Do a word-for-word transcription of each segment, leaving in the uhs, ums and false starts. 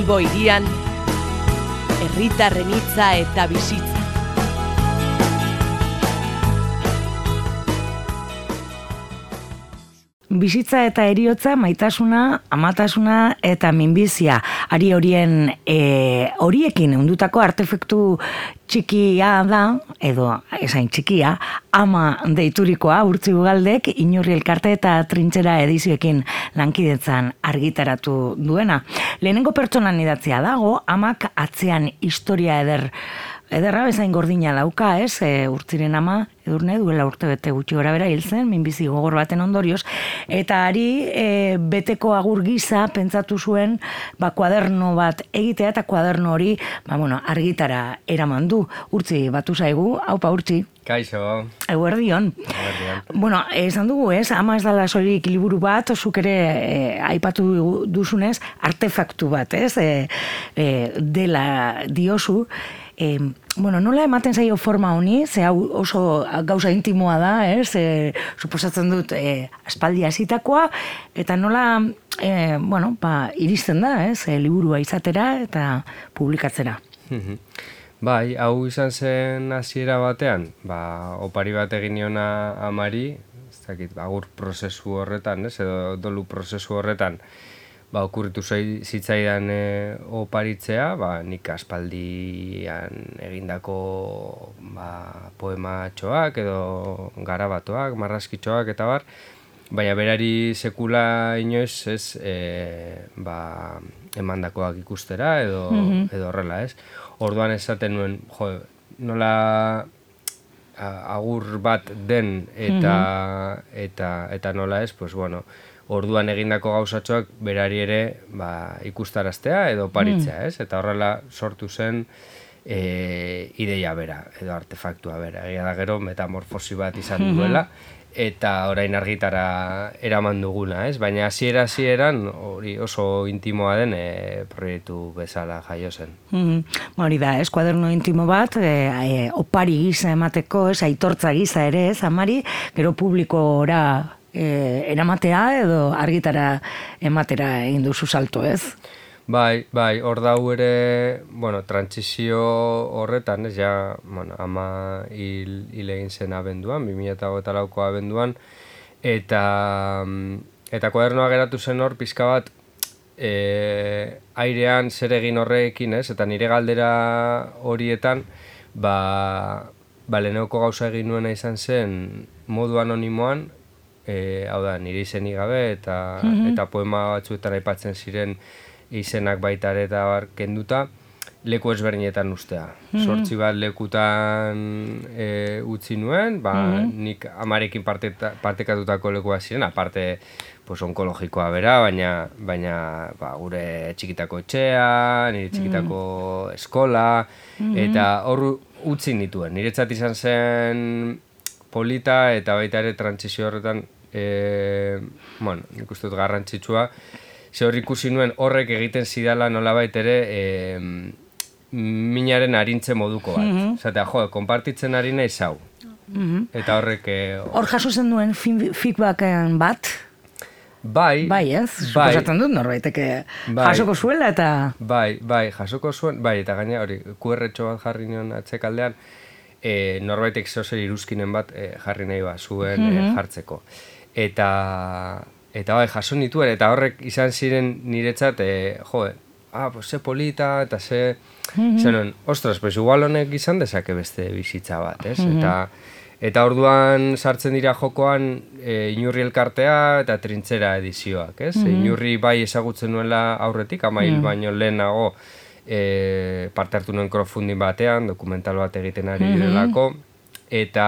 Bilbo hirian, herritarren hitza eta bizitza. Bizitza eta heriotza, maitasuna, amatasuna eta minbizia. Ari horien e, horiekin ondutako artefaktu txikia da, edo esain txikia, ama deiturikoa Urtzi Ugaldek Inurri Elkarte eta Trintxera edizioekin lankidetzan argitaratu duena. Lehenengo pertsonan idatzia dago, amak atzean historia eder Ederra bezain gordina dauka, ez? E, Urtziren ama, Edurne, duela urte bete gutxi gora bera hil zen, minbizi gogor baten ondorioz, eta ari e, beteko agur gisa pentsatu zuen, ba, kuaderno bat egitea, eta kuaderno hori, ba, bueno, argitara eraman du. Urtzi, batu zaigu, haupa Urtzi. Kaixo. Eguerdion. Eguerdion. Bueno, esan dugu, ez? Ama ez dala soilik liburu bat, zuk ere e, aipatu duzunez, artefaktu bat, ez? E, e, dela diozu. E, bueno, nola ematen zaio forma honi, ze hau oso gauza intimoa da, ez? E, suposatzen dut e, aspaldi hasitakoa, eta nola, e, bueno, ba, iristen da, ez? E, liburua izatera eta publikatzera. Bai, hau izan zen hasiera batean, ba, opari bat egin niona amari, ez dakit, agur prozesu horretan, ez? Edo dolu prozesu horretan, ba, okurritu zitzaidan e, oparitzea, ba, nik aspaldian egindako ba, poematxoak edo garabatoak, marrazkitxoak eta bar, baina berari sekula inoiz ez e, ba, emandakoak ikustera edo, mm-hmm. edo horrela, ez? Orduan esaten nuen, jo, nola agur bat den eta, mm-hmm. eta, eta nola ez, pues bueno, orduan egindako gauzatxoak berari ere ba, ikustaraztea edo paritzea, ez? Eta horrela sortu zen e, ideia bera, edo artefaktua bera. Egia da gero metamorfosi bat izan duela, eta orain argitara eraman duguna, ez? Baina hasiera hasieran hori oso intimoa den e, proiektu bezala jaio zen. Mm-hmm. Hori da, ez? Kuaderno intimo bat, e, e, opari gisa emateko, ez? Aitortza gisa ere, ez? Amari, gero publikora E, eramatea edo argitara ematera egin duzu salto, ez? Bai, bai, hor dau ere, bueno, trantsizio horretan, ez, ja, bueno, ama hil, hil egin zen abenduan, bi mila hogeita lauko abenduan, eta, eta kuadernoa geratu zen hor, pizka bat, e, airean zer egin horrekin, ez, eta nire galdera horietan, ba, ba leheneko gauza egin nuena izan zen, modu anonimoan, E, hau da, nire izenik gabe eta, mm-hmm. eta poema batzuetan aipatzen ziren izenak baita ere eta bar kenduta, leku ezberdinetan ustea. Mm-hmm. Zortzi bat lekutan e, utzi nuen, ba, mm-hmm. nik amarekin parte, partekatutako lekua ziren, aparte pues, onkologikoa bera, baina, baina ba, gure txikitako etxea, nire txikitako mm-hmm. eskola, mm-hmm. eta hor utzi nituen. Niretzat izan zen polita eta baita ere trantsizio horretan e, bueno, nik uste dut garrantzitsua, ze hor ikusi nuen horrek egiten zidala nolabait ere e, minaren arintze moduko bat. Mm-hmm. Zatea, jo, konpartitzen ari nahi zau. Mm-hmm. Eta horrek... E, hor jaso zen duen feedbacken bat? Bai, bai, ez? Bai, suposatzen dut norbaiteke bai, jasoko zuela eta... Bai, bai, jasoko zuen, bai, eta gaina hori, Q R txo bat jarri nion atzekaldean, E, norbaitek zozer iruzkinen bat e, jarri nahi bat zuen mm-hmm. e, jartzeko. Eta, eta bai, jaso nituen, eta horrek izan ziren niretzat, e, jo, ah, pues ze polita, eta ze... Mm-hmm. Zenon, ostras, pues igual honek izan dezake beste bizitza bat, ez? Mm-hmm. Eta, eta orduan sartzen dira jokoan e, Inurri Elkartea eta Trintxera edizioak, ez? Mm-hmm. Inurri bai ezagutzen nuela aurretik, amail mm-hmm. baino lehenago, E, parte hartu nuen crowdfunding batean, dokumental bat egiten ari direlako, eta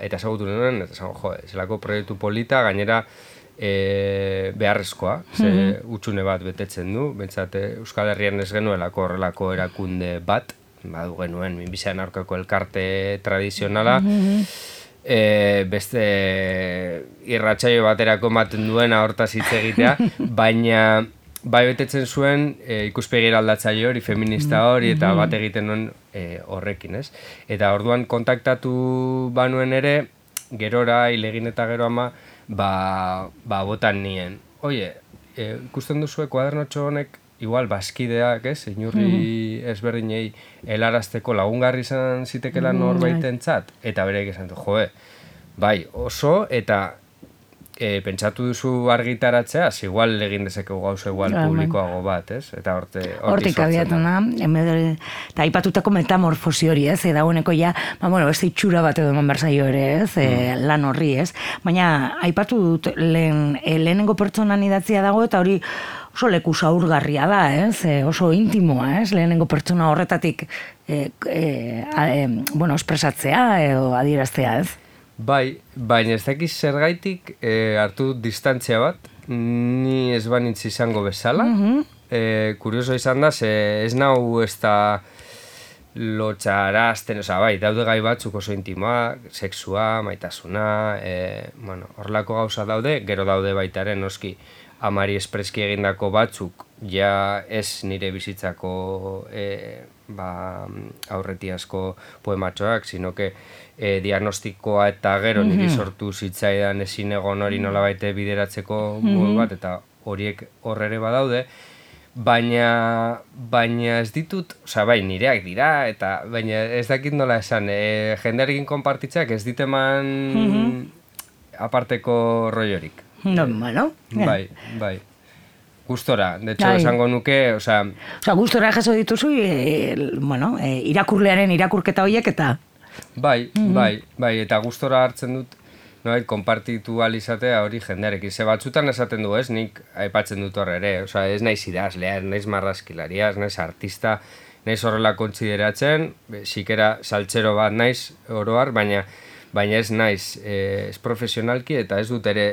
eta ezagutu nuen, eta esan, jo, zelako proiektu polita, gainera e, beharrezkoa, ze utxune bat betetzen du, bentsat Euskal Herrian ez genuelako horrelako erakunde bat, badu genuen, minbizian aurkako elkarte tradizionala, e, beste irratsaio baterako ematen duena hortaz hitz egitea, baina bai betetzen zuen e, ikuspegira aldatzaile hori, feminista hori, eta bat egiten nuen e, horrekin, ez? Eta orduan kontaktatu banuen ere, gerora, hilegin eta gero ama, ba, ba botan nien. Oie, e, ikusten duzue kuadernotxo honek igual bazkideak, ez, inurri ezberdinei helarazteko lagungarri izan zitekela norbaitentzat, eta bereik esan du, joe, bai, oso, eta e, pentsatu duzu argitaratzea, igual egin dezakegu gauza igual publikoago bat, ez? Eta horte, hortik abiatu na, eta aipatutako metamorfosi hori, ez? Eta dagoeneko ja, ba, bueno, beste itxura bat edo eman berzaio ere, ez? E, lan horri, ez? Baina, aipatu dut, lehen, e, lehenengo pertsonan idatzia dago, eta hori oso leku zaurgarria da, ez? E, oso intimoa, ez? Lehenengo pertsona horretatik e, e, a, e, bueno, espresatzea edo adieraztea, ez? Bai, baina ez dakiz zergaitik e, hartu distantzia bat, ni ez banitz izango bezala. Mm-hmm. e, kurioso izan da, ze ez nau ez da lotxarazten, oza, bai, daude gai batzuk oso intimoa, sexua, maitasuna, e, bueno, horrelako gauza daude, gero daude baitaren, noski, amari espreski egindako batzuk, ja ez nire bizitzako e, ba, aurretiazko poematxoak, sino que e, diagnostikoa eta gero niri sortu zitzaidan ezin egon hori nolabait bideratzeko modu bat, eta horiek horrere badaude, baina, baina ez ditut, oza, bai, nireak dira, eta baina ez dakit nola esan, e, jendearekin konpartitzeak ez diteman aparteko rollorik. No, bueno. Bai, bai. Gustora, de hecho, esango nuke, o sea... O sea, gustora jaso dituzu, e, bueno, e, irakurlearen irakurketa horiek eta... Bai, mm-hmm. bai, bai, eta gustora hartzen dut, no, konpartitu alizatea hori jendearekin. Ze batzutan esaten du, ez, nik aipatzen dut horre ere, o sea, ez naiz idazlea, ez naiz marrazkilaria, ez naiz artista, naiz horrela kontsideratzen, sikera saltzero bat naiz oroar, baina... baina ez naiz, eh, ez profesionalki eta ez dut ere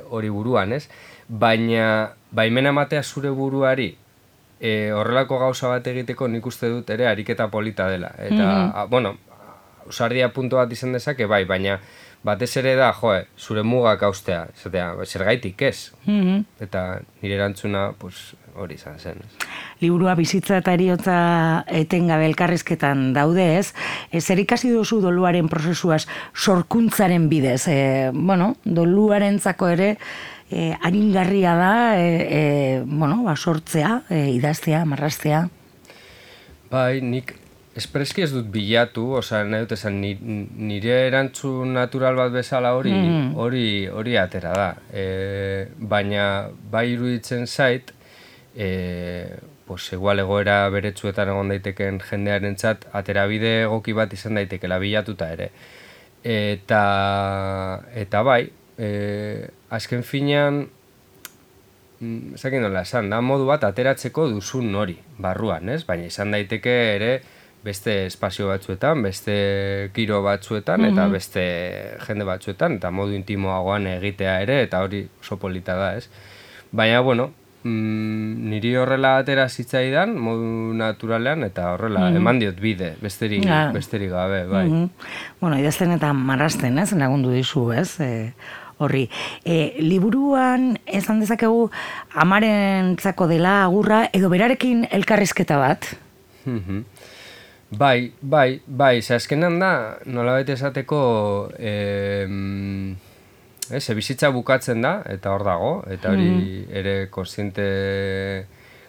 hori eh, buruan, ez? Baina, baimena ematea zure buruari eh, horrelako gauza bat egiteko nik uste dut ere ariketa polita dela. Eta, mm-hmm. a, bueno, ausardia puntu bat izan dezake, bai, baina batez ere da, joe, zure mugak haustea, zatea, zergaitik ez. Mm-hmm. Eta nire erantzuna, pues, hori izan zen. Liburua bizitza eta eriotza etengabe elkarrizketan daude, ez? Zer ikasi duzu doluaren prozesuaz sorkuntzaren bidez? E, bueno, doluarentzako ere e, aringarria da, e, e, bueno, ba, sortzea, e, idaztea, marraztea. Bai, nik espreski ez dut bilatu, oza, nahi dut esan, nire erantzun natural bat bezala hori, mm. hori, hori atera da. E, baina, bai iruditzen zait, e, pues, igual egoera beretsuetan egon daiteken jendearentzat aterabide egoki bat izan daitekela bilatuta ere. Eta, eta bai, e, azken finean, ezakin nola esan, da modu bat ateratzeko duzun hori, barruan, ez? Baina izan daiteke ere beste espazio batzuetan, beste giro batzuetan, eta beste jende batzuetan, eta modu intimoagoan egitea ere, eta hori oso polita da, ez? Baina, bueno, mm, niri horrela atera zitzaidan, modu naturalean, eta horrela mm-hmm. eman diot bide, besterik, ja. besterik gabe, bai. Mm-hmm. Bueno, idazten eta marrazten, ez? Lagundu dizu, ez? E, horri. E, liburuan, esan dezakegu, amarentzako dela agurra, edo berarekin elkarrizketa bat? Mm-hmm. Bai, bai, bai, ze azkenan da, nolabait esateko, eh, ez, bizitza bukatzen da, eta hor dago, eta hori mm. ere konstiente,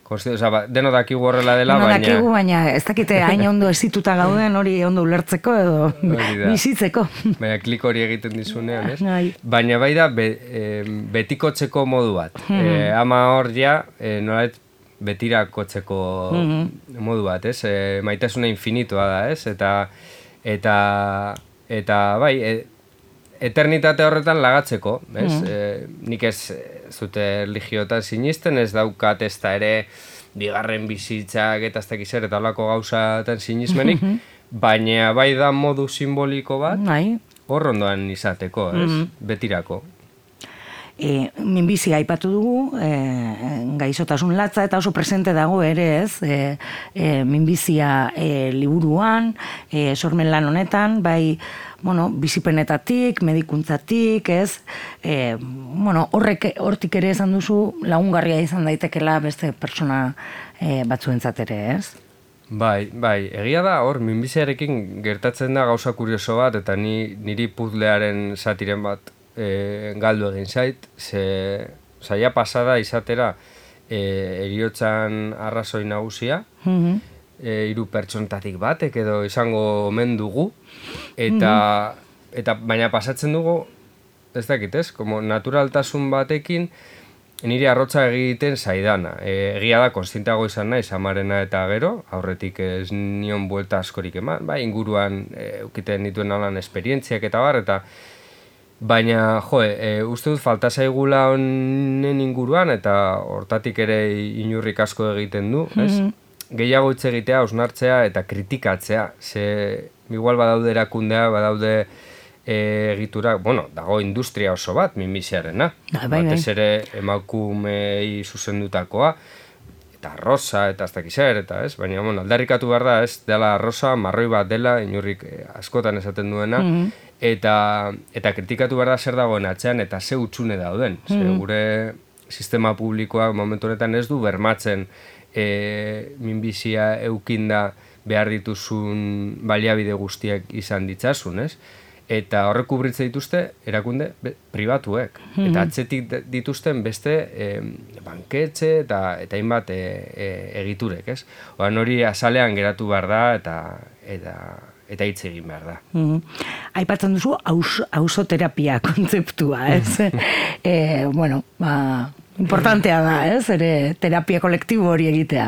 konstiente, oza, ba, deno dakigu horrela dela, deno baina... Deno dakigu, baina ez dakite hain ondo ezituta gauden hori ondo ulertzeko edo bizitzeko. Baina klik hori egiten dizunean, ez? Baina bai da, be, e, betikotzeko modu bat. Mm. E, ama hor ja, e, nolabait, betirakotzeko mm-hmm. modu bat, ez? E, maitasuna infinitua da, ez? Eta, eta, eta bai, e, eternitate horretan lagatzeko, ez? Mm-hmm. E, nik ez zute religiotan sinisten, ez daukat ez da ere bigarren bizitzak eta ez dakiz ere eta holako gauzatan sinismenik, mm-hmm. baina bai da modu simboliko bat, bai. Hor ondoan izateko, ez? Mm-hmm. Betirako. E, minbizia aipatu dugu, e, gaizotasun latza eta oso presente dago ere, ez? E, e, minbizia e, liburuan, e, sormen lan honetan, bai, bueno, bizipenetatik, medikuntzatik, ez? E, bueno, horrek hortik ere esan duzu lagungarria izan daitekela beste pertsona e, batzuentzat ere, ez? Bai, bai, egia da, hor, minbiziarekin gertatzen da gauza kurioso bat, eta ni, niri puzlearen satiren bat e, galdu egin zait, ze saia pasada izatera e, eriotzan arrazoi nagusia, Mhm. e, hiru pertsontatik batek edo izango omen dugu, eta, eta baina pasatzen dugu, ez dakit ez, como naturaltasun batekin, nire arrotza egiten zaidana. E, egia da, konstientago izan naiz amarena eta gero, aurretik ez nion buelta askorik eman, bai, inguruan e, eukiten dituen alan esperientziak eta bar, eta baina, jo, e, uste dut falta zaigula honen inguruan, eta hortatik ere inurrik asko egiten du, ez? Mm-hmm. Gehiago hitz egitea, hausnartzea eta kritikatzea, ze igual badaude erakundea, badaude e, egitura, bueno, dago industria oso bat, minbiziarena. Bai, bai. Batez ere emakumei zuzendutakoa, eta arroza, eta ez dakiz zer, eta ez, baina, bueno, aldarrikatu behar da, ez, dela arroza, marroi bat dela, inurrik eh, askotan esaten duena, mm-hmm. eta, eta kritikatu behar da zer dagoen atzean, eta ze hutsune dauden. Mm-hmm. Ze gure sistema publikoa momentu honetan ez du bermatzen e, minbizia eukinda behar dituzun baliabide guztiak izan ditzasun, ez? Eta horrek kubritze dituzte erakunde be, pribatuek. Mm-hmm. Eta atzetik dituzten beste e, banketxe eta eta hainbat e, e, egiturek, ez? Oan hori azalean geratu behar da eta eta eta hitz egin behar da. Mm-hmm. Aipatzen duzu ausoterapia kontzeptua, ez? e, bueno, ba, importantea da, ez? Ere terapia kolektibo hori egitea.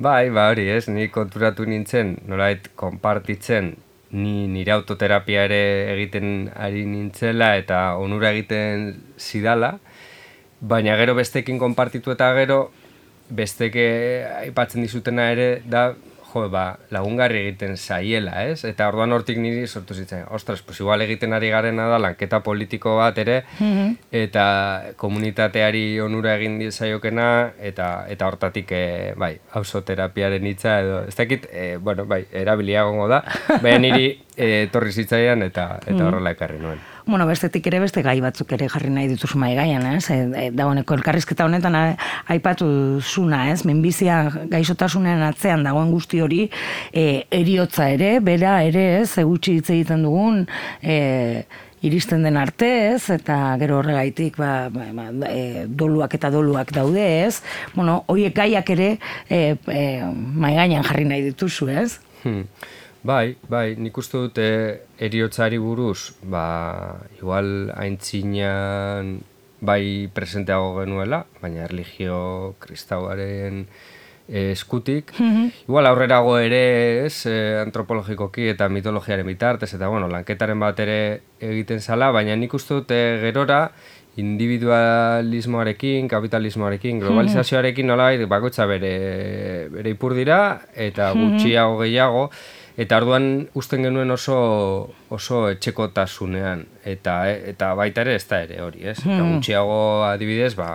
Bai, ba hori, ez? Ni konturatu nintzen, nolait konpartitzen ni nire autoterapia ere egiten ari nintzela eta onura egiten zidala, baina gero bestekin konpartitu eta gero besteke aipatzen dizutena ere da, jo, ba, lagungarri egiten zaiela, ez? Eta orduan hortik niri sortu zitzen, ostras, pues igual egiten ari garena da lanketa politiko bat ere, mm-hmm. eta komunitateari onura egin zaiokena, eta eta hortatik, e, bai, auzoterapiaren hitza edo, ez dakit, e, bueno, bai, erabiliagongo da, baina niri e, torri zitzaian eta eta horrela ekarri nuen. Bueno, bestetik ere beste gai batzuk ere jarri nahi dituzu mahai gaian, ez? E, e, dagoeneko elkarrizketa honetan aipatu zuna, ez? Minbizia gaixotasunean atzean dagoen guzti hori, e, eriotza ere, bera ere, ez? Egutsi hitz egiten dugun, e, iristen den arte, ez? Eta gero horregaitik, ba, ba, e, doluak eta doluak daude, ez? Bueno, horiek gaiak ere e, e, mahai gainean jarri nahi dituzu, ez? Hmm. Bai, bai, nik uste dute eriotzari buruz, ba, igual aintzinean bai presenteago genuela, baina erlijio kristauaren eskutik. Mm-hmm. Igual aurrerago ere, ez, antropologikoki eta mitologiaren bitartez, eta bueno, lanketaren bat ere egiten zala, baina nik uste dute gerora individualismoarekin, kapitalismoarekin, globalizazioarekin nolabait bakoitza bere, bere ipur dira, eta gutxiago gehiago, eta orduan uzten genuen oso oso etxekotasunean, eta eta baita ere ez da ere hori, ez? Eta gutxiago adibidez, ba,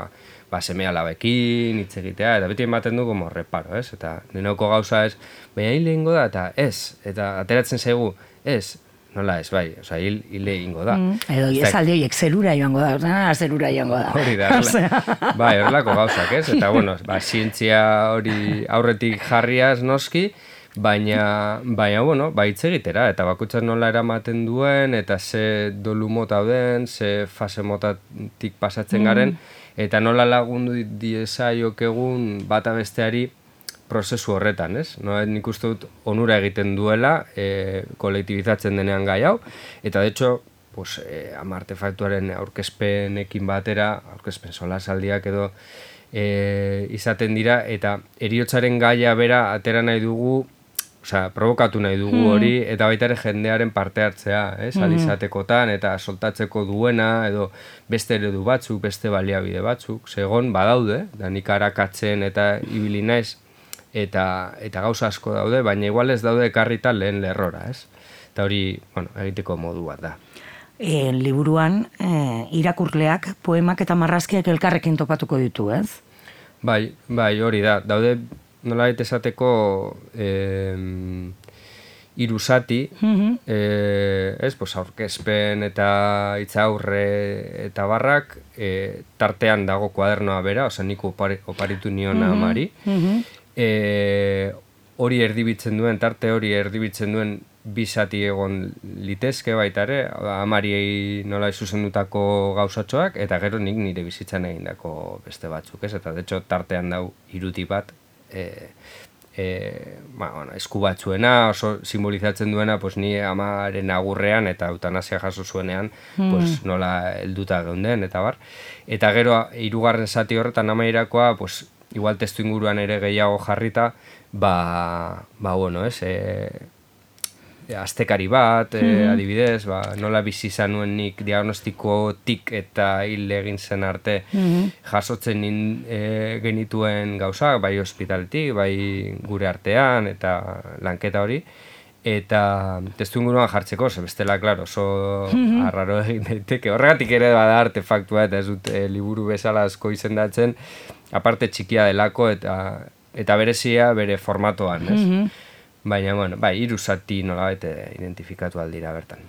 ba seme-alabekin hitz egitea, eta beti ematen du como reparo, ez? Eta denoko gauza ez, baina hil egingo da, eta ez, eta ateratzen zaigu, ez, nola ez, bai, oza, hil, hil egingo da. Mm, edo, esaldi horiek zerura joango da, ordan, zerura joango da. Hori da, bai, horrelako gauzak, ez? Eta, bueno, ba, zientzia hori aurretik jarriaz noski, baina, baina, bueno, ba, hitz egitera, eta bakoitzak nola eramaten duen, eta ze dolu mota den, ze fase motatik pasatzen garen, eta nola lagundu diezaiok egun bata besteari prozesu horretan, ez? No, nik uste dut onura egiten duela, e, kolektibizatzen denean gai hau, eta de hecho, pues, e, ama artefaktuaren aurkezpenekin batera, aurkezpen solasaldiak edo e, izaten dira, eta heriotzaren gaia bera atera nahi dugu, osea, provokatu nahi dugu hori, eta baita ere jendearen parte hartzea, ez? Alizatekotan, eta soltatzeko duena, edo beste eredu batzuk, beste baliabide batzuk, segon badaude, da nik arakatzen eta ibili naiz, eta, eta gauza asko daude, baina igual ez daude ekarrita lehen lerrora, ez? Eta hori, bueno, egiteko modu bat da. E, liburuan, e, irakurleak, poemak eta marrazkiak elkarrekin topatuko ditu, ez? Bai, bai, hori da, daude nolabait esateko eh, hiru zati, mm-hmm. eh, ez, pues, aurkezpen eta hitzaurre eta barrak, eh, tartean dago kuadernoa bera, oza, nik opari, oparitu niona amari, mm-hmm. eh, hori erdibitzen duen, tarte hori erdibitzen duen bizati egon litezke baita ere, amari nola zuzendutako gauzatxoak, eta gero nik nire bizitzan egindako beste batzuk, ez? Eta, de hecho, tartean dau iruti bat, e, e, ba, bueno, esku batzuena, oso simbolizatzen duena, pues, ni amaren agurrean eta eutanasia jaso zuenean, mm. pues, nola helduta geunden, eta bar. Eta gero, hirugarren zati horretan amairakoa, pues, igual testu inguruan ere gehiago jarrita, ba, ba bueno, ez, e, astekari bat, mm-hmm. e, adibidez, ba, nola bizi izan nuen nik diagnostikotik eta hil egin zen arte mm-hmm. jasotzen nin, e, genituen gauzak, bai ospitaletik, bai gure artean, eta lanketa hori, eta testu inguruan jartzeko, ze bestela, klaro, oso mm-hmm. arraro egin daiteke. Horregatik ere bada artefaktua, eta ez dut e, liburu bezala asko izendatzen, aparte txikia delako, eta, eta berezia bere formatoan, ez? Mm-hmm. Baina, bueno, bai, hiru zati nolabait identifikatu aldira bertan.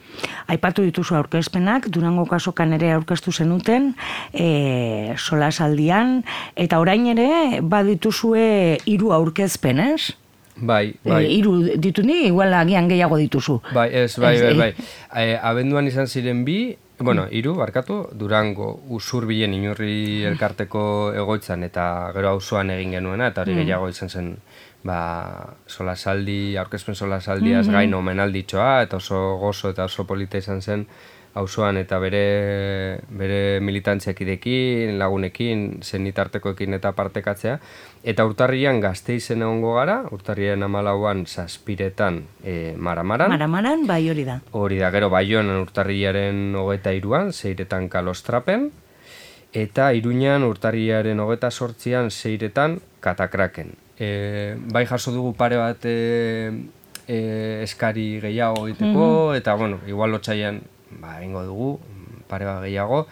Aipatu dituzu aurkezpenak, Durango kasokan ere aurkeztu zenuten, e, solasaldian, eta orain ere badituzue hiru aurkezpen, ez? Bai, bai. E, hiru ditu ni, igual agian gehiago dituzu. Bai, ez, bai, bai, bai. E, abenduan izan ziren bi, bueno, hiru, barkatu, Durango Usurbilen Inurri elkarteko egoitzan, eta gero auzoan egin genuena, eta hori gehiago izan zen, ba, solasaldi, aurkezpen solasaldiaz mm-hmm. gain omenalditxoa, eta oso gozo eta oso polita izan zen auzoan eta bere, bere militantziakidekin, lagunekin, zenitartekoekin eta partekatzea. Eta urtarrian Gasteizen egongo gara, urtarrian hamalauan zazpiretan e, Maramaran. Maramaran, bai hori da. Hori da, gero Baionan urtarriaren hogeita hiruan, zeiretan Kalostrapen, eta Iruñan urtarriaren hogeita sortzian, zeiretan Katakraken. E, bai jaso dugu pare bat e, e, eskari gehiago egiteko, mm-hmm. eta, bueno, igual lotzaian, ba, egingo dugu, pare bat gehiago,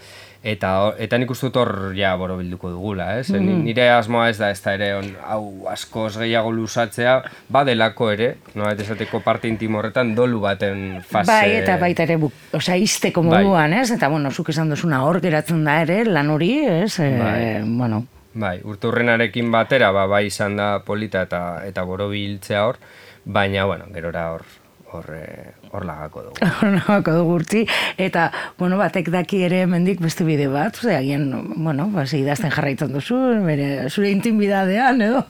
eta, eta nik uste dut hor, ja, borobilduko dugula, ez? Mm-hmm. Nire asmoa ez da, ez da ere, on, hau, askoz gehiago luzatzea, badelako ere, no, eta esateko parte intimo horretan, dolu baten fase... Bai, eta baita ere, osea, izteko moduan, bai. Ez? Eta, bueno, zuk esan duzuna hor geratzen da ere, lan hori, ez? E, bai. Bueno... Bai, urte hurrenarekin batera, ba, bai izan da polita eta eta borobiltzea hor, baina, bueno, gerora hor, hor, hor lagako dugu. Hor lagako dugu urtzi, eta, bueno, batek daki ere mendik beste bide bat, ose, agien, bueno, ba, idazten jarraitzen duzu, bere, zure intimidadean, edo?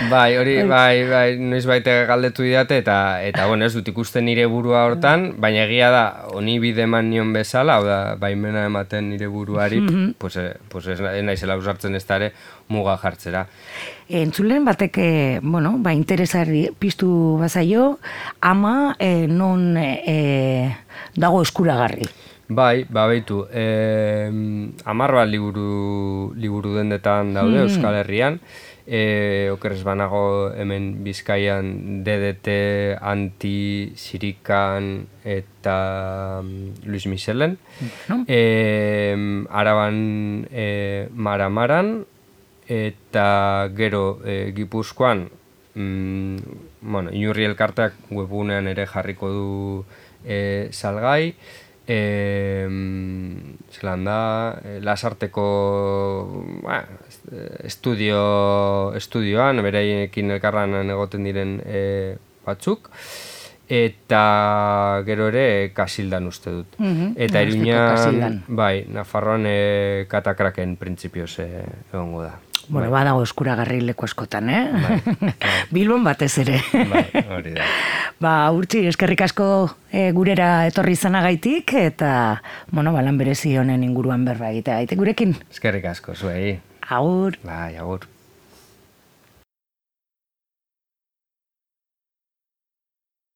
Bai, hori, bai, bai, noiz baite galdetu didate, eta, eta, bueno, ez dut ikusten nire burua hortan, baina egia da, honi bide eman nion bezala, hau da, baimena ematen nire buruari, mm-hmm. pues, pues ez naizela usartzen ez da ere, muga jartzera. Entzulen batek, bueno, ba, interesari piztu bazaio, ama e, non e, dago eskuragarri. Bai, ba, beitu, e, amar bat liburu, liburu dendetan daude mm. Euskal Herrian, e, okerrez banago hemen Bizkaian D D T, Anti, Sirikan eta Luis Michelen, no. e, Araban e, Maramaran, eta gero e, Gipuzkoan, mm, bueno, Inurri elkarteak webgunean ere jarriko du e, salgai, e, zelan da, e, Lasarteko ba, estudio, estudioan, bereiekin elkarran egoten diren e, batzuk, eta gero ere Kasildan uste dut. Mm-hmm. Eta Iruñan, bai, Nafarroan e, Katakraken printzipioz e, egongo da. Bueno, bai. Badago eskuragarri leku askotan, eh? Bai, bai. Bilbon batez ere. Bai, hori da. Ba, Urtzi, eskerrik asko e, gurera etorri izanagaitik, eta, bueno, balan berezi honen inguruan berba egitea. Aite gurekin? Eskerrik asko, zuei. Agur. Bai, agur.